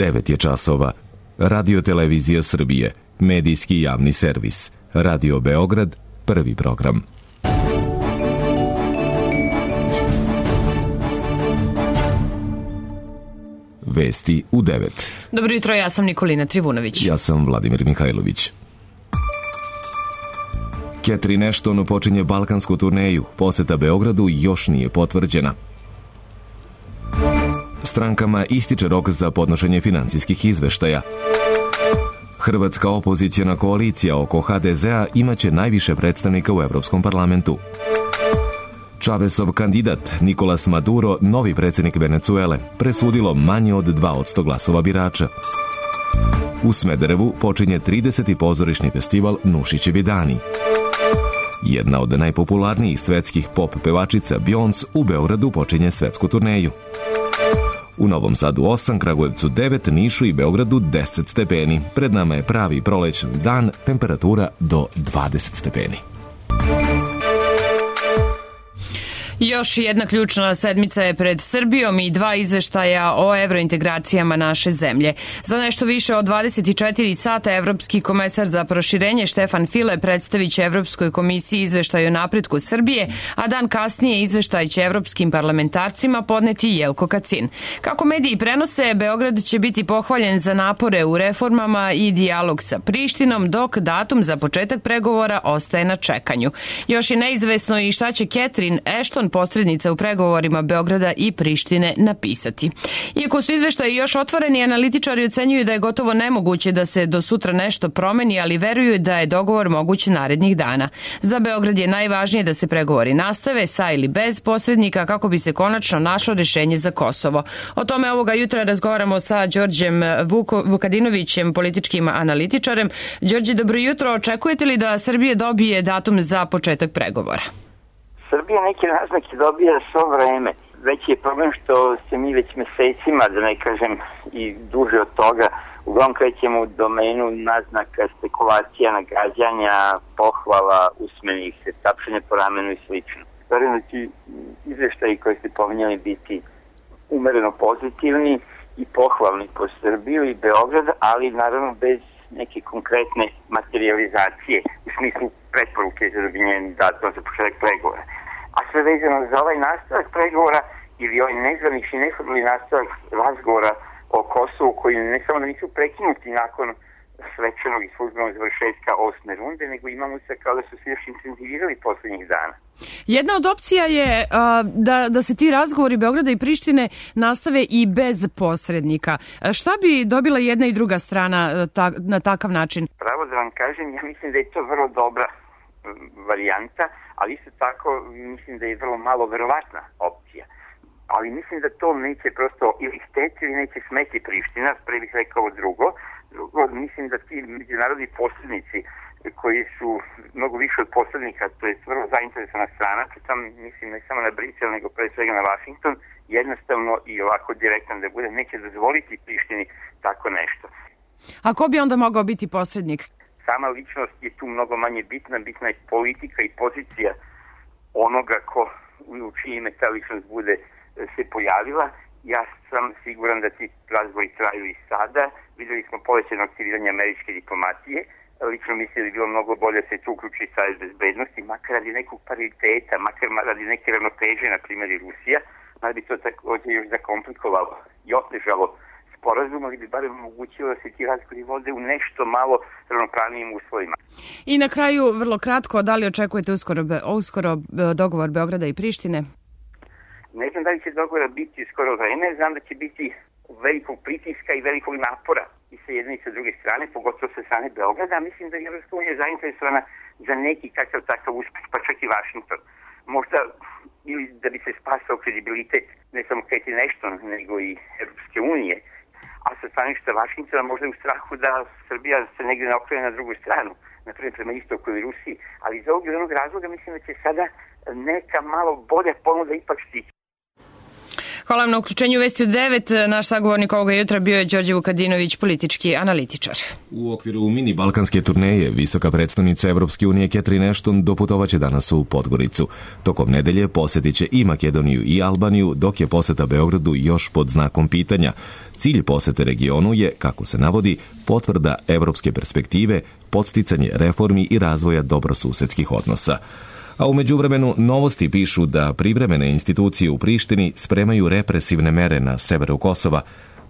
9 je časova. Radio Televizija Srbije, medijski javni servis. Radio Beograd, prvi program. Vesti u 9. Dobro jutro, ja sam Nikolina Trivunović. Ja sam Vladimir Mihajlović. Catherine Ashton počinje balkansku turneju. Poseta Beogradu još nije potvrđena. Strankama ističe rok za podnošenje finansijskih izveštaja. Hrvatska opozicijna koalicija oko HDZ-a imaće najviše predstavnika u Evropskom parlamentu. Čavesov kandidat Nikolas Maduro, novi predsjednik Venecuele, presudilo manje od 2% glasova birača. U Smederevu počinje 30. pozorišni festival Nušićevi dani. Jedna od najpopularnijih svetskih pop pevačica Beyoncé u Beogradu počinje svetsku turneju. U Novom Sadu 8, Kragujevcu 9, Nišu i Beogradu 10 stepeni. Pred nama je pravi prolećni dan, temperatura do 20 stepeni. Još jedna ključna sedmica je pred Srbijom i 2 izveštaja o evrointegracijama naše zemlje. Za nešto više od 24 sata Evropski komesar za proširenje Štefan File predstavit će Evropskoj komisiji izveštaj o napretku Srbije, a dan kasnije izveštaj će evropskim parlamentarcima podneti Jelko Kacin. Kako mediji prenose, Beograd će biti pohvaljen za napore u reformama i dijalog sa Prištinom, dok datum za početak pregovora ostaje na čekanju. Još je neizvesno i šta će Catherine Ashton, posrednica u pregovorima Beograda i Prištine, napisati. Iako su izveštaji još otvoreni, analitičari ocenjuju da je gotovo nemoguće da se do sutra nešto promeni, ali veruju da je dogovor moguć narednih dana. Za Beograd je najvažnije da se pregovori nastave sa ili bez posrednika kako bi se konačno našlo rješenje za Kosovo. O tome ovoga jutra razgovaramo sa Đorđem Vukadinovićem, političkim analitičarem. Đorđe, dobro jutro. Očekujete li da Srbija dobije datum za početak pregovora? Srbija neke naznake dobija svo vreme. Veći je problem što se mi već mesecima, da ne kažem i duže od toga, uglavnom krećemo u domenu naznaka, spekulacija, nagađanja, pohvala, usmenih, tapšanja po ramenu i slično. Verujem da će izveštaji koji ste pominjali biti umereno pozitivni i pohvalni po Srbiju i Beograd, ali naravno bez neke konkretne materializacije u smislu preporuke za dobivanje datuma za početak pregovora. A sve vezano za ovaj nastavak pregovora ili ovaj nezvanični neformalni nastavak razgovora o Kosovu koji ne samo da nisu prekinuti nakon svečanog i službenog završetka 8. runde, nego imamo se kao da su se još intenzivirali poslednjih dana. Jedna od opcija je da se ti razgovori Beograda i Prištine nastave i bez posrednika. Šta bi dobila jedna i druga strana na takav način? Pravo da vam kažem, ja mislim da je to vrlo dobra varijanta, ali isto tako mislim da je vrlo malo verovatna opcija. Ali mislim da to neće prosto ili hteti ili neće smeti Priština, pre bih rekao drugo. Mislim da ti međunarodni posrednici koji su mnogo više od posrednika, to je vrlo zainteresovana strana, pritom mislim ne samo na Brisel, nego pre svega na Washington, jednostavno i ovako direktan da bude, neće dozvoliti Prištini tako nešto. A ko bi onda mogao biti posrednik? Sama ličnost je tu mnogo manje bitna, bitna je politika i pozicija onoga u čije ime ta ličnost bude se pojavila. Ja sam siguran da ti razgovori traju i sada. Videli smo povećano aktiviranje američke diplomatije. Lično mislim da je bilo mnogo bolje da se tu uključi Savet bezbednosti, makar radi nekog pariteta, makar radi neke ravnoteže, na primjer i Rusija. Mada bi to također još zakomplikovalo i otežalo sporazum, ali bi barem omogućilo da se ti razgovori vode u nešto malo ravnopravnijim uslovima. I na kraju, vrlo kratko, da li očekujete uskoro dogovor Beograda i Prištine? Ne znam da li će dogovora biti skoro vreme, znam da će biti velikog pritiska i velikog napora i sa jedne i sa druge strane, pogotovo sa strane Beograda, a mislim da je Evropska unija zainteresovana za neki takav uspeh, pa čak i Washington. Možda ili da bi se spasao kredibilitet ne samo Catherine Ashton, nego i Evropske unije, a sa stanovišta Washingtona možda u strahu da Srbija se negdje ne okrene na drugu stranu, na primjer prema istoku ili Rusiji, ali iz ovog jednog razloga mislim da će sada neka malo bolja ponuda ipak stići. Hvala vam na uključenju Vesti u 9. Naš sagovornik ovoga jutra bio je Đorđe Vukadinović, politički analitičar. U okviru mini balkanske turneje visoka predstavnica Evropske unije Catherine Ashton doputovaće danas u Podgoricu. Tokom nedelje posjetit će i Makedoniju i Albaniju, dok je poseta Beogradu još pod znakom pitanja. Cilj posete regionu je, kako se navodi, potvrda evropske perspektive, podsticanje reformi i razvoja dobrosusedskih odnosa. A u međuvremenu novosti pišu da privremene institucije u Prištini spremaju represivne mere na severu Kosova.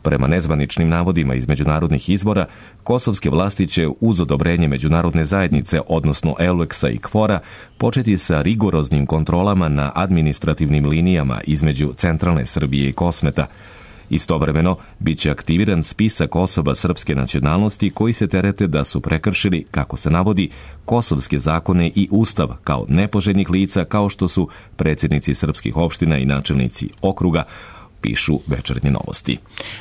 Prema nezvaničnim navodima iz međunarodnih izvora, kosovske vlasti će uz odobrenje međunarodne zajednice, odnosno EULEX-a i KFOR-a, početi sa rigoroznim kontrolama na administrativnim linijama između centralne Srbije i Kosmeta. Istovremeno, bit će aktiviran spisak osoba srpske nacionalnosti koji se terete da su prekršili, kako se navodi, kosovske zakone i ustav kao nepoželjnih lica, kao što su predsjednici srpskih opština i načelnici okruga, pišu Večernje novosti.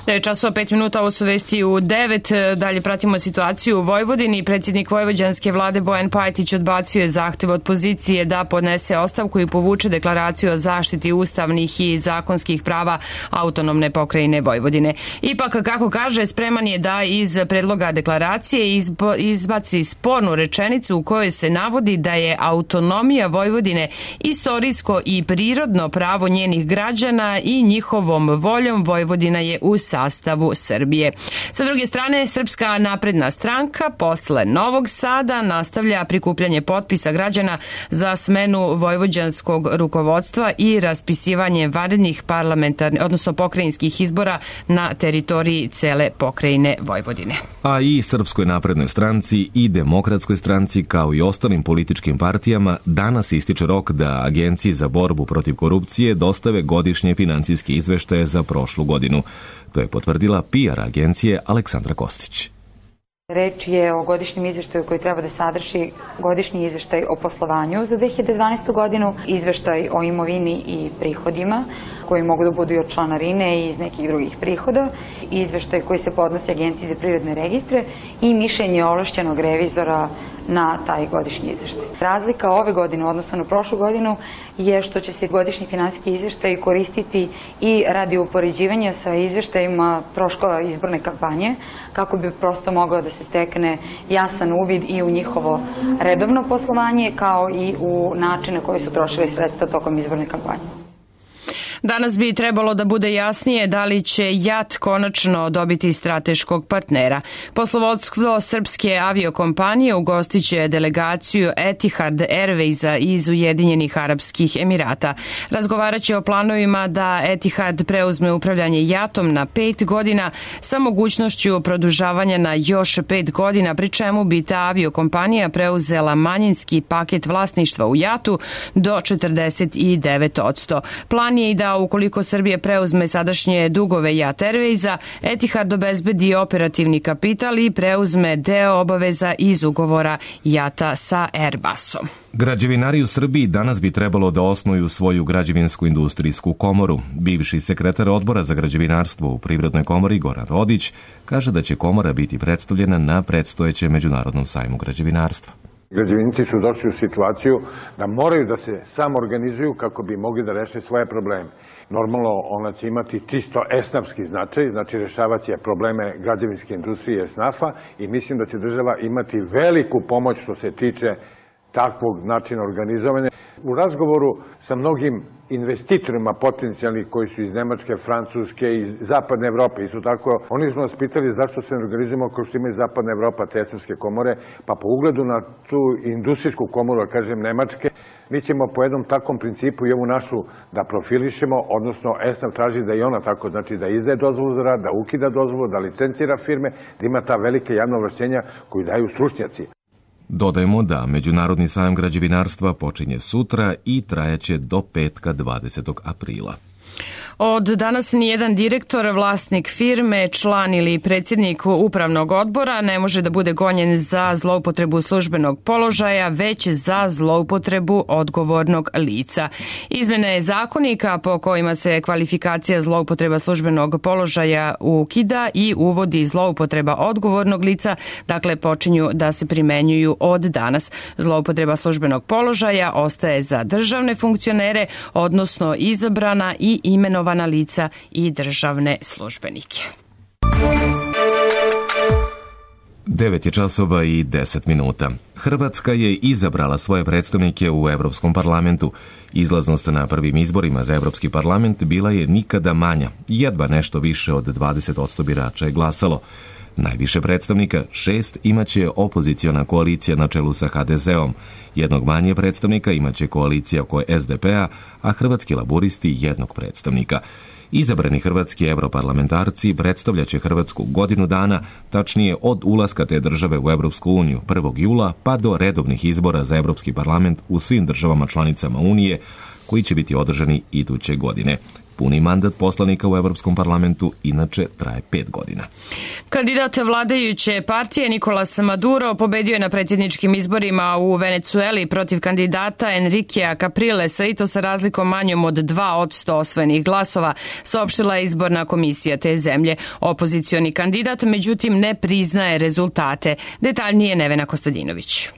9:05, ovo su Vesti u 9. Dalje pratimo situaciju u Vojvodini. Predsjednik vojvođanske vlade Bojan Pajtić odbacio je zahtev od pozicije da podnese ostavku i povuče deklaraciju o zaštiti ustavnih i zakonskih prava autonomne pokrajine Vojvodine. Ipak, kako kaže, spreman je da iz predloga deklaracije izbaci spornu rečenicu u kojoj se navodi da je autonomija Vojvodine istorijsko i prirodno pravo njenih građana i njihovom voljom Vojvodina je u sastavu Srbije. Sa druge strane, Srpska napredna stranka posle Novog Sada nastavlja prikupljanje potpisa građana za smenu vojvođanskog rukovodstva i raspisivanje vanrednih parlamentarnih, odnosno pokrajinskih izbora na teritoriji cele pokrajine Vojvodine. A i Srpskoj naprednoj stranci i Demokratskoj stranci, kao i ostalim političkim partijama, danas ističe rok da Agenciji za borbu protiv korupcije dostave godišnje finansijske izveštaje za prošlu godinu. To je potvrdila PR agencije Aleksandra Kostić. Reč je o godišnjem izveštaju koji treba da sadrži godišnji izveštaj o poslovanju za 2012. godinu, izveštaj o imovini i prihodima, koji mogu da budu i od članarine i iz nekih drugih prihoda, izveštaj koji se podnosi Agenciji za privredne registre i mišljenje ovlašćenog revizora na taj godišnji izveštaj. Razlika ove godine, odnosno na prošlu godinu, je što će se godišnji finansijski izveštaj koristiti i radi upoređivanja sa izveštajima troškova izborne kampanje, kako bi prosto mogao da se stekne jasan uvid i u njihovo redovno poslovanje, kao i u način na koji su trošili sredstva tokom izborne kampanje. Danas bi trebalo da bude jasnije da li će JAT konačno dobiti strateškog partnera. Poslovodstvo srpske aviokompanije ugostiće delegaciju Etihad Airwaysa iz Ujedinjenih Arapskih Emirata. Razgovarat će o planovima da Etihad preuzme upravljanje JAT-om na 5 godina sa mogućnošću produžavanja na još 5 godina, pri čemu bi ta aviokompanija preuzela manjinski paket vlasništva u JAT-u do 49%. Plan je i da ukoliko Srbija preuzme sadašnje dugove JAT Airwaysa, Etihad obezbedi operativni kapital i preuzme deo obaveza iz ugovora JAT-a sa Airbusom. Građevinari u Srbiji danas bi trebalo da osnuju svoju građevinsku industrijsku komoru. Bivši sekretar odbora za građevinarstvo u Privrednoj komori Goran Rodić kaže da će komora biti predstavljena na predstojećem Međunarodnom sajmu građevinarstva. Građevinici su došli u situaciju da moraju da se samo organizuju kako bi mogli da reše svoje probleme. Normalno, ona će imati čisto esnafski značaj, znači rešavat će probleme građevinske industrije esnafa i mislim da će država imati veliku pomoć što se tiče takvog načina organizovanja. U razgovoru sa mnogim investitorima potencijalnih koji su iz Nemačke, Francuske i Zapadne Evrope, isto tako, oni smo nas pitali zašto se ne organizujemo kao što imaju Zapadna Evropa, te esnafske komore, pa po ugledu na tu industrijsku komoru, da kažem Nemačke, mi ćemo po jednom takvom principu i ovu našu da profilišemo, odnosno esnaf traži da i ona tako, znači da izdaje dozvolu za rad, da ukida dozvolu, da licencira firme, da ima ta velike javna ovlašćenja koju daju stručnjaci. Dodajemo da Međunarodni sajam građevinarstva počinje sutra i trajaće do petka 20. aprila. Od danas nijedan direktor, vlasnik firme, član ili predsjednik upravnog odbora ne može da bude gonjen za zloupotrebu službenog položaja, već za zloupotrebu odgovornog lica. Izmene zakonika po kojima se kvalifikacija zloupotreba službenog položaja ukida i uvodi zloupotreba odgovornog lica, dakle počinju da se primenjuju od danas. Zloupotreba službenog položaja ostaje za državne funkcionere, odnosno izabrana i i imenovana lica i državne službenike. 9 je časova i 10 minuta. Hrvatska je izabrala svoje predstavnike u Evropskom parlamentu. Izlaznost na prvim izborima za Evropski parlament bila je nikada manja. Jedva nešto više od 20% birača je glasalo. Najviše predstavnika, 6, imaće opoziciona koalicija na čelu sa HDZ-om. Jednog manje predstavnika imaće koalicija oko SDP-a, a Hrvatski laburisti jednog predstavnika. Izabrani hrvatski europarlamentarci predstavljaće Hrvatsku godinu dana, tačnije od ulaska te države u Evropsku uniju 1. jula pa do redovnih izbora za Evropski parlament u svim državama članicama Unije, koji će biti održani iduće godine. Puni mandat poslanika u Evropskom parlamentu inače traje 5 godina. Kandidat vladajuće partije Nicolas Maduro pobedio je na predsjedničkim izborima u Venecueli protiv kandidata Enriquea Caprilesa i to sa razlikom manjom od 2% osvojenih glasova, saopštila je izborna komisija te zemlje. Opozicioni kandidat međutim ne priznaje rezultate. Detaljnije Nevena Kostadinović.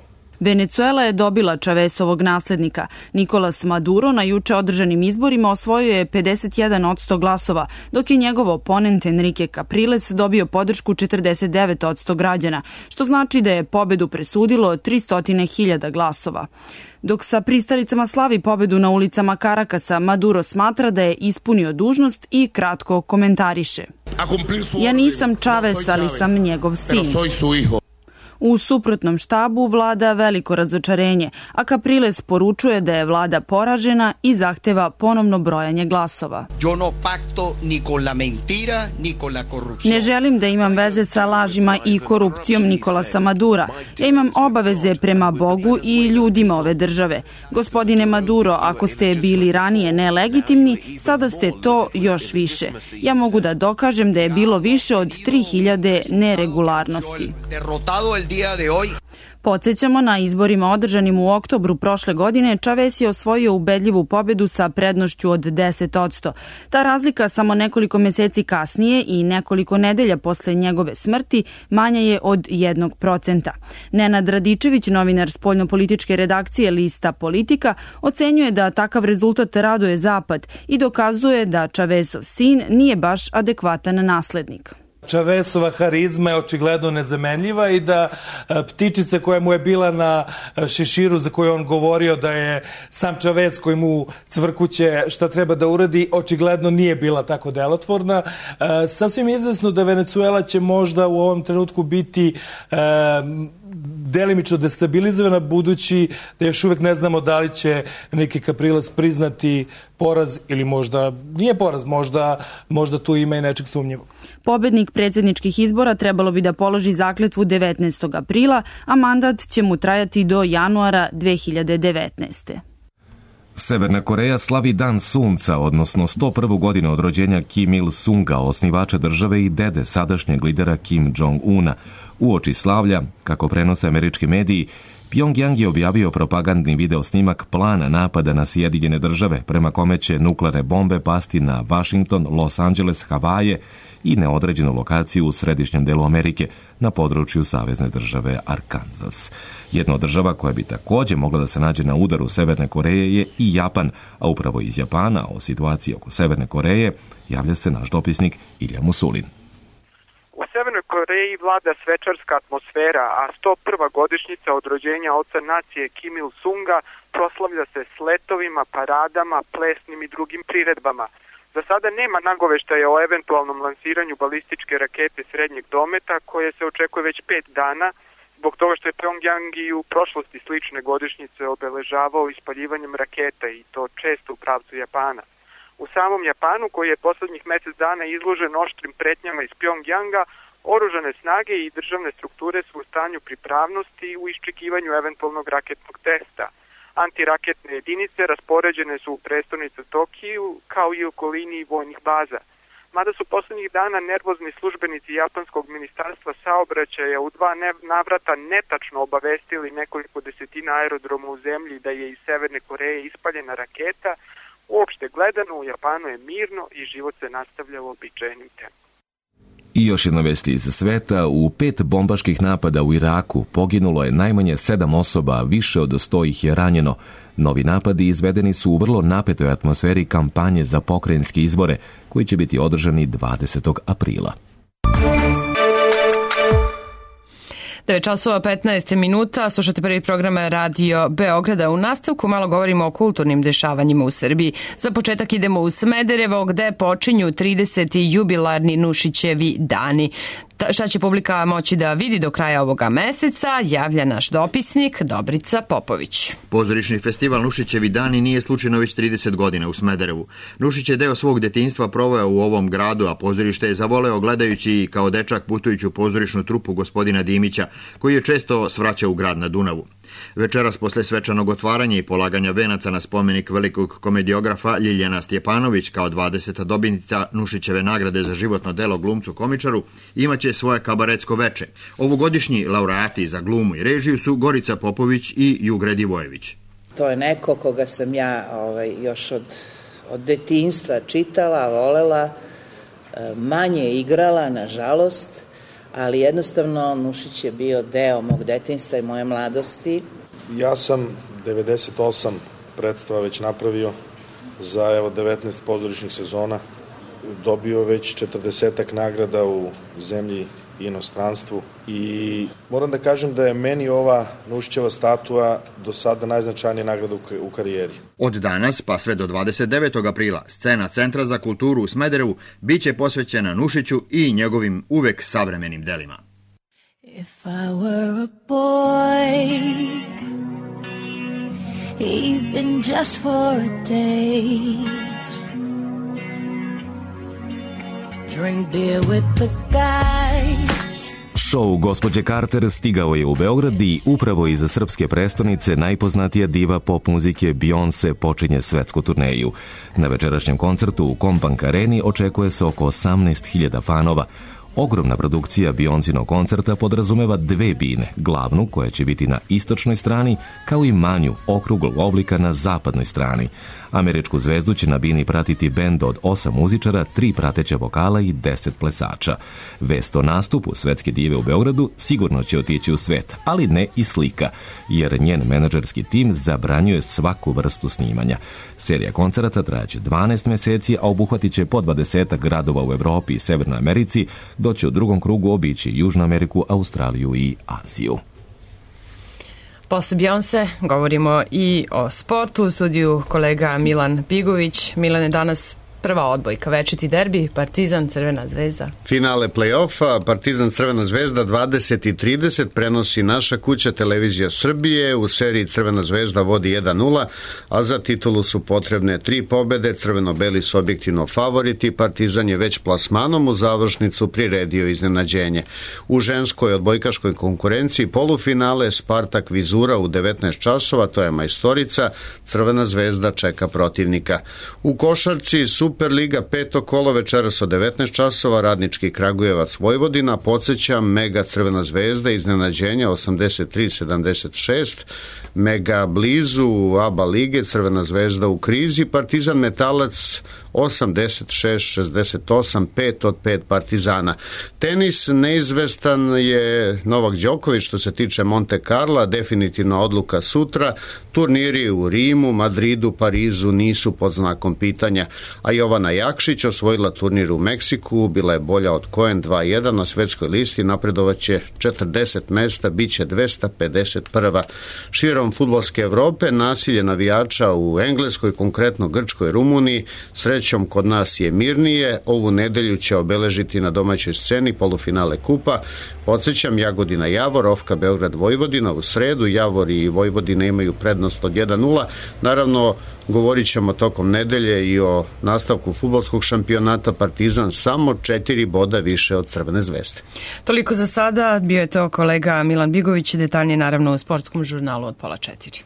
Venecuela je dobila Chavezovog naslednika. Nicolas Maduro na juče održanim izborima osvojio je 51% glasova, dok je njegov oponent Enrique Capriles dobio podršku 49% građana, što znači da je pobedu presudilo 300.000 glasova. Dok sa pristalicama slavi pobedu na ulicama Karakasa, Maduro smatra da je ispunio dužnost i kratko komentariše. Ja nisam Chavez, ali sam njegov sin. U suprotnom štabu vlada veliko razočarenje, a Capriles poručuje da je vlada poražena i zahteva ponovno brojanje glasova. Ne želim da imam veze sa lažima i korupcijom Nicolasa Madura. Ja imam obaveze prema Bogu i ljudima ove države. Gospodine Maduro, ako ste bili ranije nelegitimni, sada ste to još više. Ja mogu da dokažem da je bilo više od 3000 neregularnosti. Podsjećamo, na izborima održanim u oktobru prošle godine Chavez je osvojio ubedljivu pobedu sa prednošću od 10%. Ta razlika samo nekoliko meseci kasnije i nekoliko nedelja posle njegove smrti manja je od 1%. Nenad Radičević, novinar spoljnopolitičke redakcije lista Politika, ocenjuje da takav rezultat raduje Zapad i dokazuje da Chavezov sin nije baš adekvatan naslednik. Chavezova harizma je očigledno nezamenljiva i da ptičica koja mu je bila na šeširu za koju on govorio da je sam Chavez koji mu cvrkuće šta treba da uradi, očigledno nije bila tako delotvorna. Sasvim izvesno da Venecuela će možda u ovom trenutku biti delimično destabilizovana, budući da još uvek ne znamo da li će neki Capriles priznati poraz ili možda nije poraz, možda tu ima i nečeg sumnjivog. Pobednik predsjedničkih izbora trebalo bi da položi zakletvu 19. aprila, a mandat će mu trajati do januara 2019. Severna Koreja slavi Dan sunca, odnosno 101. godinu od rođenja Kim Il-sunga, osnivača države i dede sadašnjeg lidera Kim Jong-una. Uoči slavlja, kako prenose američki mediji, Pjongjang je objavio propagandni video snimak plana napada na Sjedinjene države, prema kome će nuklearne bombe pasti na Washington, Los Angeles, Havaje i neodređenu lokaciju u središnjem delu Amerike na području savezne države Arkansas. Jedna od država koja bi također mogla da se nađe na udaru Severne Koreje je i Japan, a upravo iz Japana o situaciji oko Severne Koreje javlja se naš dopisnik Ilja Musulin. U Severnoj Koreji vlada svečarska atmosfera, a 101. godišnjica od rođenja oca nacije Kim Il-sunga proslavlja se s letovima, paradama, plesnim i drugim priredbama. Za sada nema nagoveštaja o eventualnom lansiranju balističke rakete srednjeg dometa, koje se očekuje već 5 dana, zbog toga što je Pjongjang i u prošlosti slične godišnjice obeležavao ispaljivanjem raketa, i to često u pravcu Japana. U samom Japanu, koji je poslednjih mesec dana izložen oštrim pretnjama iz Pjongjanga, oružane snage i državne strukture su u stanju pripravnosti u iščekivanju eventualnog raketnog testa. Antiraketne jedinice raspoređene su u prestonicu Tokiju, kao i u okolini vojnih baza. Mada su poslednjih dana nervozni službenici japanskog ministarstva saobraćaja u 2 navrata netačno obavestili nekoliko desetina aerodroma u zemlji da je iz Severne Koreje ispaljena raketa, uopšte gledano u Japanu je mirno i život se nastavlja u običajnim tempom. I još jedna vest iz sveta, u 5 bombaških napada u Iraku poginulo je najmanje 7 osoba, a više od 100 ih je ranjeno. Novi napadi izvedeni su u vrlo napetoj atmosferi kampanje za pokrajinske izbore, koji će biti održani 20. aprila. 9:15, slušate prvi program Radio Beograda. U nastavku malo govorimo o kulturnim dešavanjima u Srbiji. Za početak idemo u Smederevo, gde počinju 30. jubilarni Nušićevi dani. Šta će publika moći da vidi do kraja ovoga meseca, javlja naš dopisnik Dobrica Popović. Pozorišni festival Nušićevi dani nije slučajno već 30 godina u Smederevu. Nušić je deo svog detinjstva proveo u ovom gradu, a pozorište je zavoleo gledajući kao dečak putujuću pozorišnu trupu gospodina Dimića, koji je često svraćao u grad na Dunavu. Večeras posle svečanog otvaranja i polaganja venaca na spomenik velikog komediografa Ljiljana Stjepanović kao 20. dobitnica Nušićeve nagrade za životno delo glumcu komičaru imaće svoje kabaretsko veče. Ovogodišnji laureati za glumu i režiju su Gorica Popović i Jugre Divojević. To je neko koga sam ja još od detinjstva čitala, volela, manje igrala, nažalost, ali jednostavno Nušić je bio deo mog detinjstva i moje mladosti. Ja sam 98 predstava već napravio za 19 pozorišnih sezona, dobio već 40-ak nagrada u zemlji i inostranstvu i moram da kažem da je meni ova Nušićeva statua do sada najznačajnija nagrada u karijeri. Od danas pa sve do 29. aprila scena Centra za kulturu u Smederevu biće posvećena Nušiću i njegovim uvek savremenim delima. If I were a boy, even just for a day, drink beer with the guys. Šou Gospođe Carter stigao je u Beograd i upravo iza srpske prestonice najpoznatija diva pop muzike Beyoncé počinje svetsku turneju. Na večerašnjem koncertu u Kombank Areni očekuje se oko 18.000 fanova. Ogromna produkcija Beyoncinog koncerta podrazumeva 2 bine, glavnu koja će biti na istočnoj strani, kao i manju, okruglog oblika na zapadnoj strani. Američku zvezdu će na bini pratiti bend od 8 muzičara, 3 prateća vokala i 10 plesača. Vest o nastupu svetske dive u Beogradu sigurno će otići u svet, ali ne i slika, jer njen menadžerski tim zabranjuje svaku vrstu snimanja. Serija koncerata trajaće 12 meseci, a obuhvatit će po 20 gradova u Evropi i Severnoj Americi, dok će u drugom krugu obići Južnu Ameriku, Australiju i Aziju. Posle Beyoncé govorimo i o sportu. U studiju kolega Milan Bigović. Milan, je danas prva odbojka, večiti derbi, Partizan Crvena zvezda. Finale play-offa, Partizan Crvena zvezda 20:30 prenosi naša kuća Televizija Srbije. U seriji Crvena zvezda vodi 1:0, a za titulu su potrebne 3 pobede. Crveno-beli su objektivno favoriti. Partizan je već plasmanom u završnicu priredio iznenađenje. U ženskoj odbojkaškoj konkurenciji polufinale Spartak Vizura u 19 časova, to je majstorica. Crvena zvezda čeka protivnika. U košarci Superliga 5. kolo večeras od 19 časova, Radnički Kragujevac Vojvodina, podsjećam, Mega Crvena zvezda iznenađenja 83-76, Mega blizu ABA lige, Crvena zvezda u krizi, Partizan Metalac 86-68, 5 od 5 Partizana. Tenis, neizvestan je Novak Đoković što se tiče Monte Carla, definitivna odluka sutra. Turniri u Rimu, Madridu, Parizu nisu pod znakom pitanja, a Jovana Jakšić osvojila turnir u Meksiku, bila je bolja od Cohen 2:1 na svetskoj listi, napredovaće 40 mesta, bit će 251. Širom fudbalske Evrope nasilje navijača u Engleskoj, konkretno Grčkoj, Rumuniji, srećom kod nas je mirnije. Ovu nedelju će obeležiti na domaćoj sceni polufinale kupa. Podsjećam, Jagodina Javor, Ofka Beograd Vojvodina u sredu, Javor i Vojvodina imaju prednost od 1:0. Naravno, govorit ćemo tokom nedelje i o nastavku fudbalskog šampionata. Partizan samo 4 boda više od Crvene zvezde. Toliko za sada, bio je to kolega Milan Bigović, detaljnije naravno u sportskom žurnalu od 3:30.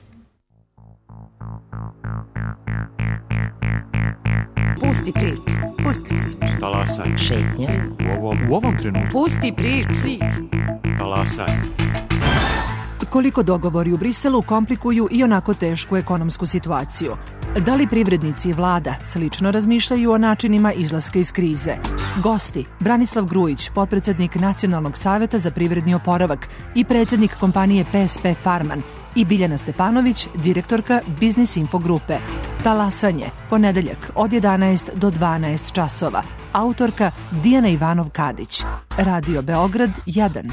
Pusti priču. Talasaj. Šetnja. U ovom trenutku. Pusti priču. Talasaj. Koliko dogovori u Briselu komplikuju i onako tešku ekonomsku situaciju. Da li privrednici i vlada slično razmišljaju o načinima izlaska iz krize? Gosti: Branislav Grujić, potpredsednik Nacionalnog saveta za privredni oporavak i predsednik kompanije PSP Farman, i Biljana Stepanović, direktorka Biznis Info grupe. Talasanje, ponedeljak od 11 do 12 časova. Autorka Dijana Ivanov-Kadić. Radio Beograd 1.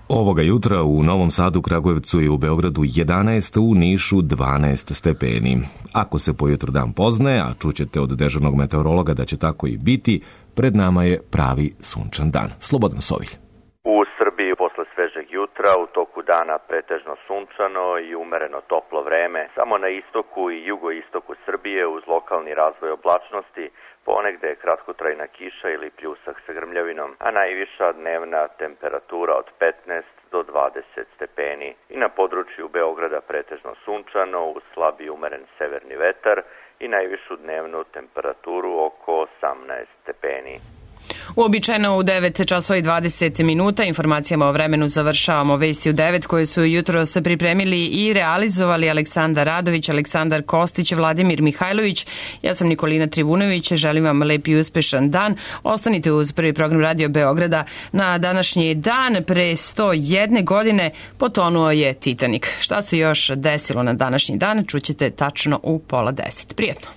Ovoga jutra u Novom Sadu, Kragujevcu i u Beogradu 11, u Nišu 12 stepeni. Ako se po jutru dan poznaje, a čućete od dežurnog meteorologa da će tako i biti, pred nama je pravi sunčan dan. Slobodan Sovilj. U Srbiji posle svežeg jutra u toku dana pretežno sunčano i umereno toplo vreme. Samo na istoku i jugoistoku Srbije uz lokalni razvoj oblačnosti ponegde kratkotrajna kiša ili pljusak sa grmljavinom, a najviša dnevna temperatura od 15 do 20 stepeni. I na području Beograda pretežno sunčano uz slab i umeren severni vetar i najvišu dnevnu temperaturu oko 18 stepeni. Uobičajeno u 9 časova i 20 minuta informacijama o vremenu završavamo vesti u 9 koje su jutro se pripremili i realizovali Aleksandar Radović, Aleksandar Kostić, Vladimir Mihajlović. Ja sam Nikolina Trivunović, želim vam lep i uspešan dan. Ostanite uz prvi program Radio Beograda. Na današnji dan pre 101 godine potonuo je Titanik. Šta se još desilo na današnji dan čućete tačno u 9:30. Prijetno.